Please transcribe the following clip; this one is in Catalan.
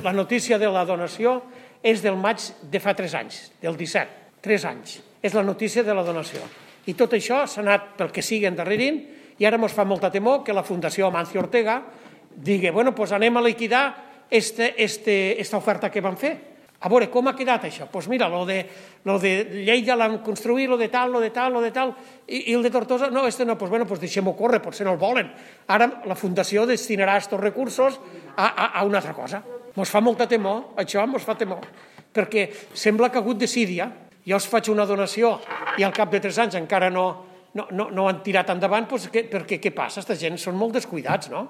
La notícia de la donació és del maig de fa 3 anys, del 17, 3 anys. És la notícia de la donació. I tot això s'ha anat pel que sigui endarrerint i ara ens fa molta temor que la Fundació Amancio Ortega digui, bueno, doncs anem a liquidar esta oferta que van fer. A veure, com ha quedat això? Doncs mira, lo de Lleida l'han construït, lo de tal, i el de Tortosa, no, no, doncs bueno, deixem-ho córrer, potser no el volen. Ara la Fundació destinarà aquests recursos a una altra cosa. Ens fa molta temor, això ens fa temor, perquè sembla que ha hagut de Síria. Jo us faig una donació i al cap de 3 anys encara no han tirat endavant, perquè què passa? Aquesta gent són molt descuidats, no?